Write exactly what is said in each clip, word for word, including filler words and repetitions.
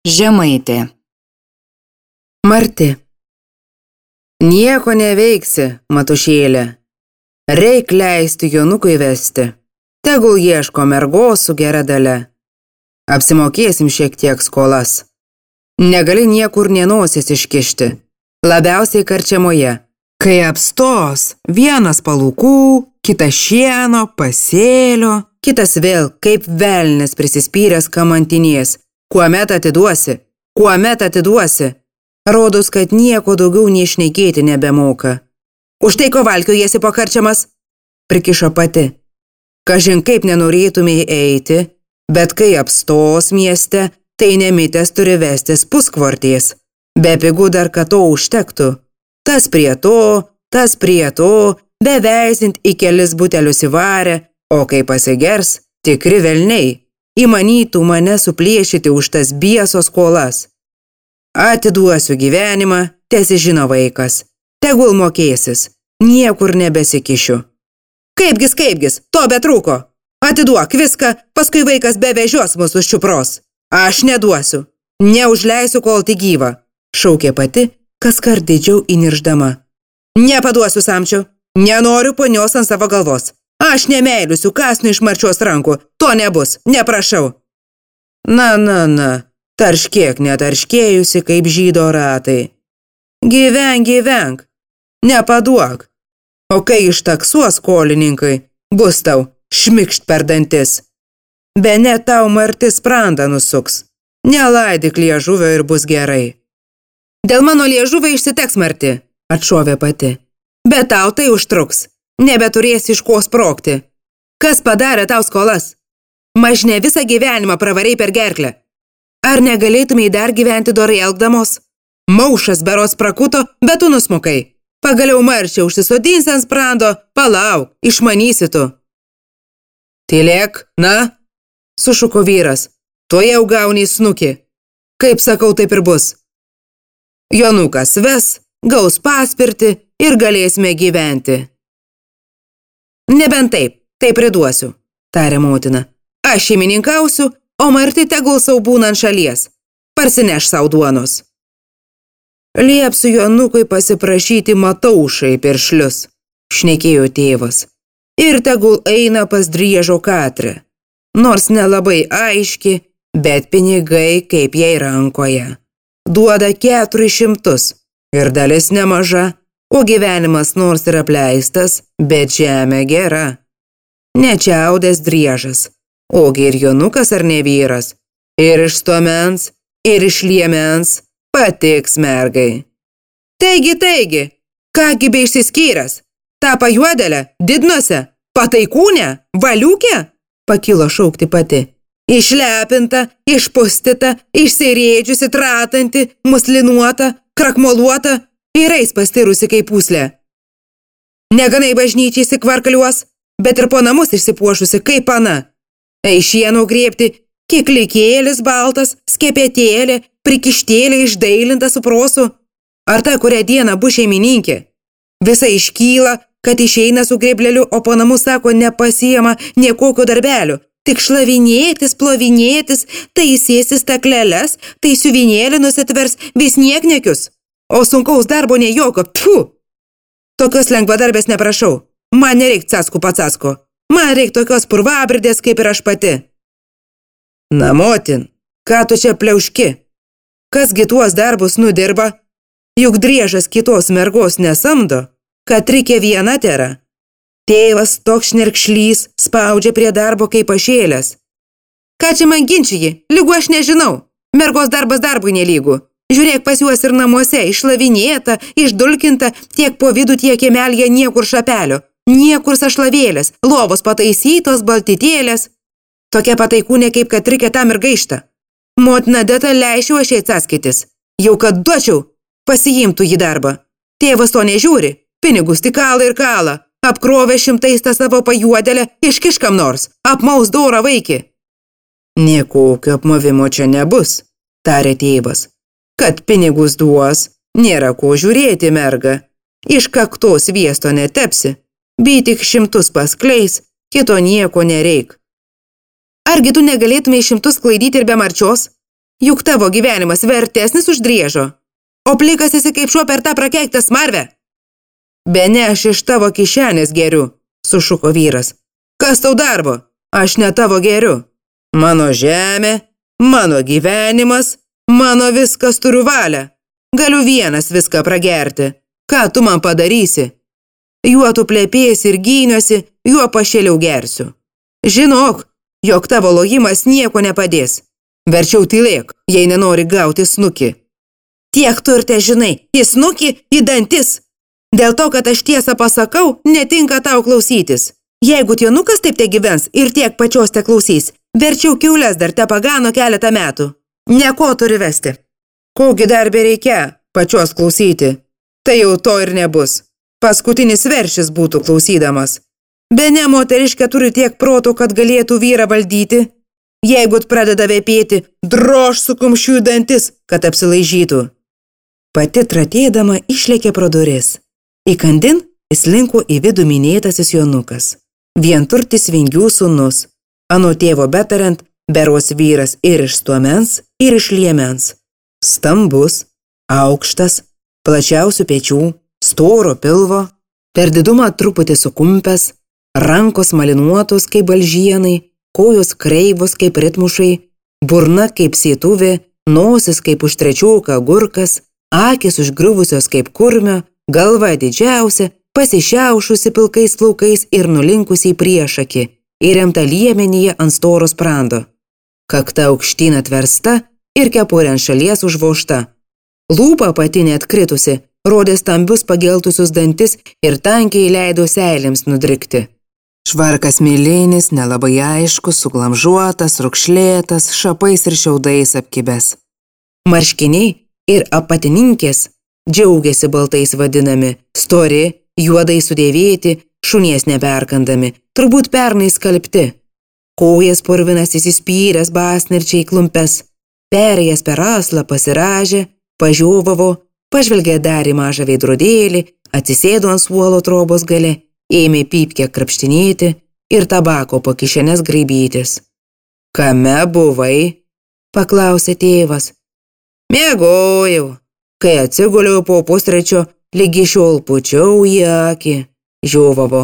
Žemaitė. Marti. Nieko neveiksi, matušėlė. Reik leisti Jonukui vesti. Tegul ieško mergos su gera dalia. Apsimokėsim šiek tiek skolas. Negali niekur nenosis iškišti. Labiausiai karčiamoje. Kai apstos, vienas palūkų, kitas šieno, pasėlio, kitas vėl kaip velnis prisispyręs kamantinės. Kuomet atiduosi, kuomet atiduosi. Rodos, kad nieko daugiau neišnekėti nebemoka. Už tai ko valkiojasi pakarčiamas? Prikišo pati. Kažin kaip nenorėtumei eiti, bet kai apstos mieste, tai nemitęs turi vestis puskvarties. Be pigų dar kad to užtektų. Tas prie to, tas prie to, beveisint į kelis butelius įvarę, o kai pasigers, tikri velniai. Įmanytų mane suplėšyti už tas biesos skolas. Atiduosiu gyvenimą, tesižino vaikas. Tegul mokėsis, niekur nebesikišiu. Kaipgis, kaipgis, to betrūko. Atiduok viską, paskui vaikas bevežios mus už čiupros. Aš neduosiu, neužleisiu kol tik gyva, šaukė pati, kaskart didžiau įnirždama. Nepaduosiu samčiu, nenoriu ponios ant savo galvos. Aš nemeiliusiu kasnu iš marčios rankų, to nebus, neprašau. Na, na, na, tarškėk netarškėjusi kaip žydo ratai. Gyvenk, gyvenk, nepaduok. O kai ištaksuos skolininkai, bus tau šmikšt per dantis. Bene tau Marti sprandą nusuks. Nelaidyk liežuvio ir bus gerai. Dėl mano liežuvio išsiteks Marti, atšovė pati. Bet tau tai užtruks. Nebeturėsi iš ko sprokti. Kas padarė tau skolas? Mažne visą gyvenimą pravarei per gerklę. Ar negalėtumei dar gyventi dorai elgdamos? Maušas berods prakuto, bet tu nusmukai. Pagaliau marčiau užsisodins ant sprando, palauk, išmanysi tu. Tylėk, na, sušuko vyras, to jau gauni snukį. Kaip sakau, taip ir bus. Jonukas ves, gaus paspirtį ir galėsime gyventi. Nebent taip, tai priduosiu, tarė motina. Aš šeimininkausiu, o Marti tegul sau būna ant šalies. Parsineš sau duonos. Liepsiu Jonukui pasiprašyti mataušai piršlius, šnekėjo tėvas. Ir tegul eina pas Driežo Katrę. Nors nelabai aiški, bet pinigai kaip jai rankoje. Duoda keturis šimtus ir dalis nemaža. O gyvenimas nors ir apleistas, bet žemė gera. Nečiaudės Driežas, ogi ir Jonukas ar ne vyras. Ir iš stomens, ir iš liemens patiks mergai. Taigi, taigi, kągi be išsiskyręs? Ta pajuodelė, didnose, pataikūnė, valiukė? Pakilo šaukti pati. Išlepinta, išpustyta, išsirėdžiusi, tratanti, muslinuota, krakmoluota, ir eis pastirusi kaip pūslė. Neganai bažnyčiai įsikvarkaliuos, bet ir po namus išsipuošusi kaip pana. Eišienų grėbti, kiklikėlis baltas, skepetėlė, prikištėlė išdailinta su prosu. Ar ta, kurią dieną bus šeimininkė? Visa iškyla, kad išeina su grėbleliu, o po namus sako nepasiema nė kokio darbelio. Tik šlavinėtis, plovinėtis, taisėsi stakleles, tai siuvinėlį nusitvers vis nieknekius. O sunkaus darbo ne jokio, pfu! Tokios lengvadarbės neprašau. Man nereik caskų pacasko. Man reik tokios purvabridės kaip ir aš pati. Na, motin, ką tu čia pliauški? Kasgi tuos darbus nudirba? Juk Driežas kitos mergos nesamdo, kad Trikė viena tėra. Tėvas toks šnirkšlys spaudžia prie darbo kaip pašėlės. Ką čia man ginčiji? Lygu aš nežinau. Mergos darbas darbui nelygu. Žiūrėk pas juos ir namuose, išlavinėta, išdulkinta, tiek po vidų, tiek kiemelėje niekur šapelio, niekur sašlavėlės, lovos pataisytos, baltytėlės. Tokia pataikūnė kaip kad Trikė tam ir gaišta. Motina deta leišiu aš jai caskaitis. Jau kad duočiau, pasiimtų jį darbą. Tėvas to nežiūri, pinigus tik kala ir kala. Apkrovė šimtais tą savo pajuodelę, iškiškam nors, apmaus dorą vaikį. Niekokio apmovimo čia nebus, tarė tėvas. Kad pinigus duos, nėra ko žiūrėti, merga. Iš kaktos sviesto netepsi, bei tik šimtus paskleis, kito nieko nereik. Argi tu negalėtumei šimtus klaidyti ir be marčios? juk tavo gyvenimas vertesnis už driežo, o plikas esi kaip šuo per tą prakeiktą smarvę. Bene aš iš tavo kišenės geriu, sušuko vyras. Kas tau darbo? Aš ne tavo geriu. Mano žemė, mano gyvenimas, mano viskas turiu valią. Galiu vienas viską pragerti. Ką tu man padarysi? Juo tu plėpėsi ir gyniuosi, juo pašėliau gersiu. Žinok, jog tavo lojimas nieko nepadės. Verčiau tylėk, jei nenori gauti snukį. Tiek tu ir te žinai, į snukį, į dantis. Dėl to, kad aš tiesą pasakau, netinka tau klausytis. Jeigu tienukas taip te gyvens ir tiek pačios te klausys, verčiau kiaules dar te pagano keletą metų. Nieko turi vesti. Kogi dar bereikia pačios klausyti? Tai jau to ir nebus. Paskutinis veršis būtų klausydamas. Bene moteriškė turi tiek proto, kad galėtų vyrą valdyti. Jeigu pradeda vėpėti, drož su kumščiu į dantis, kad apsilaižytų. Pati tratėdama išlėkė pro duris. Įkandin įslinko į vidų minėtasis jonukas. Vienturtis Vingių sūnus. Anot tėvo betariant, beros vyras ir iš stuomens, ir iš liemens. Stambus, aukštas, plačiausių pečių, storo pilvo, per didumą truputį sukumpęs, rankos malinuotos kaip balžienai, kojos kreivos kaip ritmušai, burna kaip sietuvė, nosis kaip užtrečioka agurkas, akis užgriuvusios kaip kurmio, galva didžiausia, pasišiaušusi pilkais plaukais ir nulinkusi į priešakį, įremta liemenyje ant storo sprando. Kakta aukštyn atversta ir kepurė ant šalies užvožta. Lūpa apatinė atkritusi, rodė stambius pageltusius dantis ir tankiai leido seilėms nudrikti. Švarkas milinis, nelabai aiškus, suglamžuotas, rukšlėtas, šapais ir šiaudais apkibęs. Marškiniai ir apatininkės džiaugiasi baltais vadinami, stori, juodai sudėvėti, šunies neperkandami, turbūt pernai skalbti. Kojas purvinas įsispyręs basnirčiai klumpes, perėjęs per aslą pasiražė, pažiovavo, pažvelgė dar į mažą veidrodėlį, atsisėdo ant suolo trobos gale, ėmė pypkę krapštinėti ir tabako po kišenes graibytis. Kame buvai? Paklausė tėvas. Miegojau. Kai atsiguliau po pustrečio, lygi šiol pučiau į akį, žiovavo.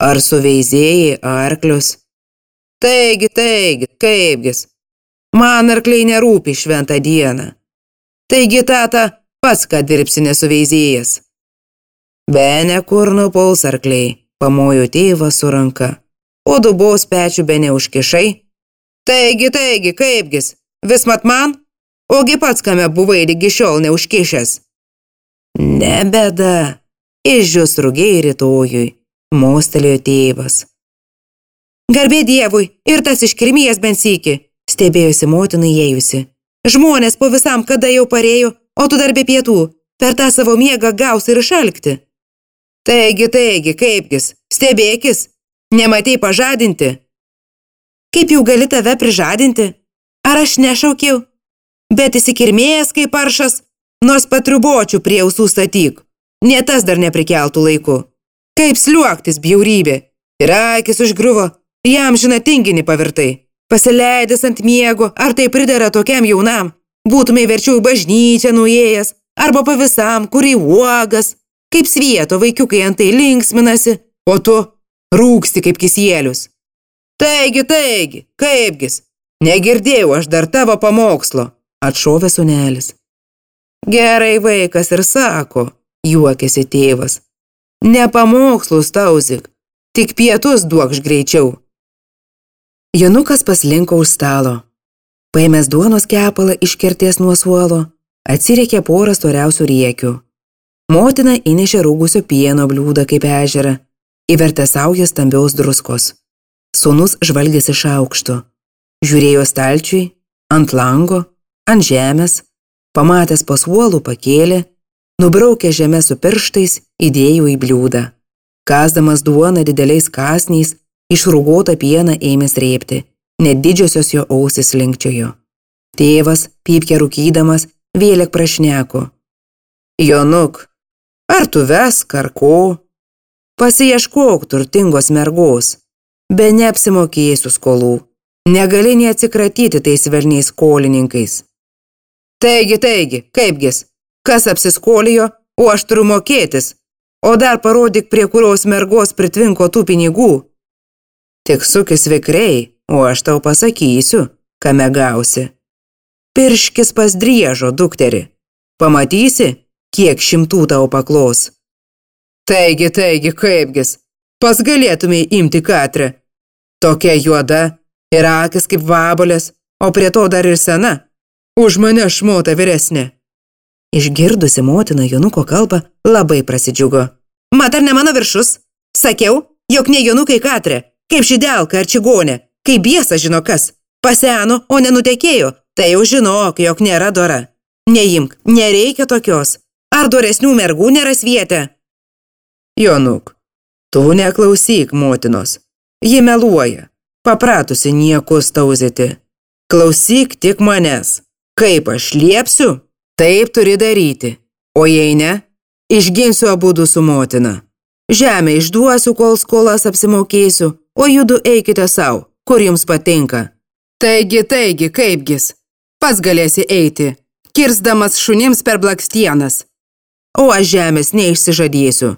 Ar suveizėjai arklius? Taigi, taigi, kaipgis. Man arkliai nerūpi šventą dieną. Taigi, tata, pats ką dirbsi nesuveizėjęs. Bene kur nupuls arkliai, pamojo tėvas su ranka. O dubos pečių bene užkišai. Taigi, taigi, kaipgis, vis mat man? Ogi pats kame buvai lygi šiol neužkišęs. Ne bėda, išdžius rugiai rytojui, mostelėjo tėvas. Garbė Dievui, ir tas iškirmijas bent sykį, stebėjosi motinai įėjusi. Žmonės po visam kada jau parėjo, o tu dar be pietų, per tą savo miegą gausi ir išalkti. Taigi, taigi, kaipgis, stebėkis, nematei pažadinti. Kaip jau gali tave prižadinti? Ar aš nešaukiau? Bet įsikirmėjęs kaip paršas, nors patriubočių prie ausų statyk. Ne tas dar neprikeltų laiku. Kaip sliuoktis bjaurybė. Ir akis užgriuvo, jam žina tinginį pavirtai. Pasileidęs ant miego, ar tai pridera tokiam jaunam, būtumai verčiau į bažnyčią nuėjęs, arba pa visam, kur į uogas, kaip svieto vaikiukai antai linksminasi, o tu rūksti kaip kisielius. Taigi, taigi, kaipgis, negirdėjau aš dar tavo pamokslo, atšovė sūnelis. Gerai vaikas ir sako, juokėsi tėvas. Ne pamokslus tauzik, tik pietus duokš greičiau. Jonukas paslinko už stalo. Paėmęs duonos kepalą iškertės nuo suolo, atsiriekė porą storiausių riekių. Motina įnešė rūgusio pieno bliūdą kaip ežerą, įvertė saują stambiaus druskos. Sūnus žvalgėsi iš aukšto. Žiūrėjo stalčiui, ant lango, ant žemės, pamatęs po suolų pakėlė, nubraukė žemę su pirštais, įdėjo į bliūdą. Kasdamas duoną dideliais kąsniais, išrūgotą pieną ėmė srėbti, net didžiosios jo ausys linkčiojo. Tėvas, pypkę rūkydamas, vėlek prašneko. Jonuk, ar tu vesk ar ko? Pasiieškok turtingos mergos, be neapsimokėsiu skolų. Negali neatsikratyti tais velniais skolininkais. Taigi, taigi, kaipgis, kas apsiskolijo, o aš turiu mokėtis, o dar parodyk, prie kurios mergos pritvinko tų pinigų. Tik sukis vikriai, o aš tau pasakysiu, kame gausi. Pirškis pas Driežo dukterį. Pamatysi, kiek šimtų tau paklos. Taigi, taigi, kaipgis, pas galėtumei imti Katrę. Tokia juoda ir akis kaip vabalės, o prie to dar ir sena. Už mane šmota vyresnė. Išgirdusi motina Jonuko kalbą, labai prasidžiugo. Mat, ar ne mano viršus? Sakiau, jog ne Jonukai Katrė, kaip šidelka ar čigonė, kaip biesa žino kas. Paseno, o nenutekėjo, tai jau žinok, jog nėra dora. Neimk, nereikia tokios. Ar doresnių mergų nėra svietę? Jonuk, tu neklausyk motinos. Ji meluoja, papratusi niekus tauzyti. Klausyk tik manęs. Kaip aš liepsiu, taip turi daryti. O jei ne, išginsiu abudu su motina. Žemę išduosiu, kol skolas apsimokėsiu, o judu eikite sau, kur jums patinka. Taigi, taigi, kaipgis, pats galėsi eiti, kirsdamas šunims per blakstienas. O aš žemės neišsižadėsiu.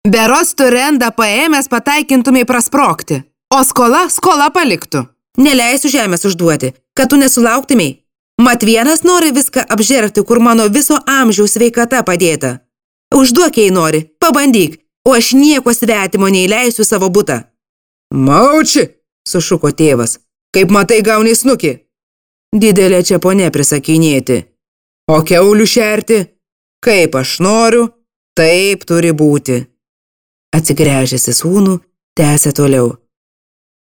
Beros tu rendą paėmęs pataikintumai prasprokti, o skola skola paliktų. Neleisiu žemės užduoti, kad tu nesulauktumai. Mat vienas nori viską apžergti, kur mano viso amžiaus sveikata padėta. Užduok, jei nori, pabandyk, o aš nieko svetimo neįleisiu savo butą. Mauči, sušuko tėvas, kaip matai gauni snukį. Didelė čia ponė prisakinėti. O kiaulių šerti, kaip aš noriu, taip turi būti. Atsigręžęs į sūnų, tęsė toliau.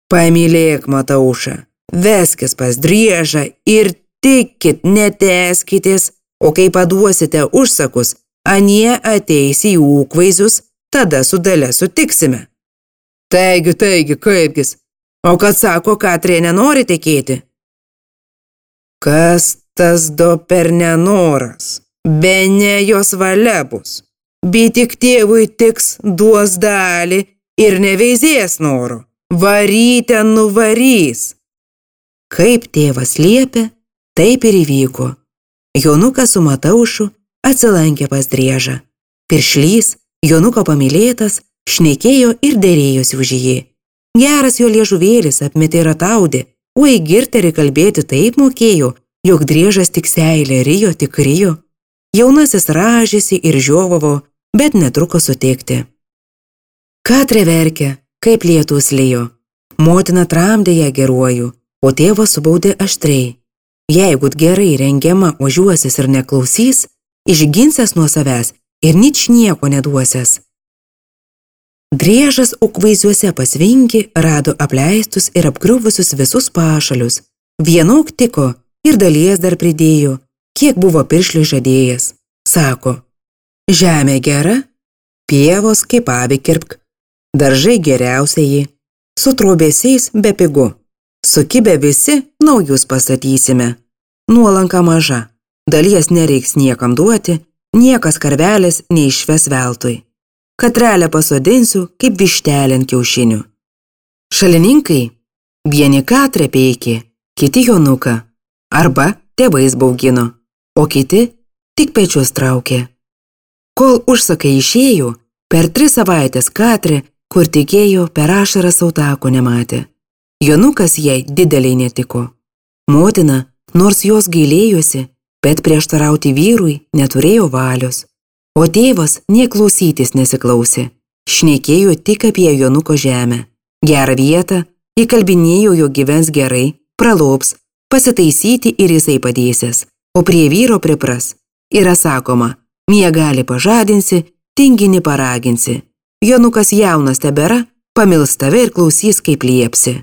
Pamylėk, Mataušą, veskis pas Driežą ir tikit, neteskitės, o kai paduosite užsakus, anie ateis į ūkvaizdžius, tada su Dalia sutiksime. Taigi, taigi, kaipgis, o kad sako, Katrė nenori tekėti? Kas tas do per nenoras? Bene jos valia bus. Bet tik tėvui tiks duos dalį ir neveizės noro. Varyte nuvarys. Kaip tėvas liepė, taip ir įvyko. Jonukas su Mataušu atsilankė pas Driežą. Piršlys, Jonuko pamylėtas, šnekėjo ir derėjosi už jį. Geras jo liežuvėlis apmetė rataudė, o į girterį kalbėti taip mokėjo, jog Driežas tik seilė rijo, tik rijo. Jaunasis rąžėsi ir žiovavo, bet netruko sutikti. Katrė verkė, kaip lietus lijo. Motina tramdė ją geruoju, o tėvas subaudė aštriai. Jeigu gerai rengiama ožiuosis ir neklausys, išginsęs nuo savęs ir nič nieko neduosias. Driežas ūkvaizdžiuose pasvinki, rado apleistus ir apgriuvusius visus pašalius. Vienok tiko ir dalies dar pridėjo, kiek buvo piršliui žadėjęs. Sako, žemė gera, pievos kaip avį kirpk, daržai geriausiai, su trobesiais be pigu. Sukibę visi, naujus pastatysime. Nuolanka maža, dalies nereiks niekam duoti, niekas karvelės neišves veltui. Katrelę pasodinsiu, kaip vištelę ant kiaušinių. Šalininkai, vieni Katrę peikė, kiti Jonuką, arba tėvais baugino, o kiti tik pečius traukė. Kol užsakai išėjo, per tris savaitės Katrė, kur tikėjo, per ašarą sautako nematė. Jonukas jai dideliai netiko. Motina, nors jos gailėjosi, bet prieštarauti vyrui neturėjo valios. O tėvas nė klausytis nesiklausė. Šnekėjo tik apie Jonuko žemę. Gerą vietą, įkalbinėjo, jo gyvens gerai, pralops, pasitaisyti ir jisai padėsės, o prie vyro pripras. Yra sakoma, miegali pažadinsi, tinginį paraginsi. Jonukas jaunas tebėra, pamils tave ir klausys, kaip liepsi.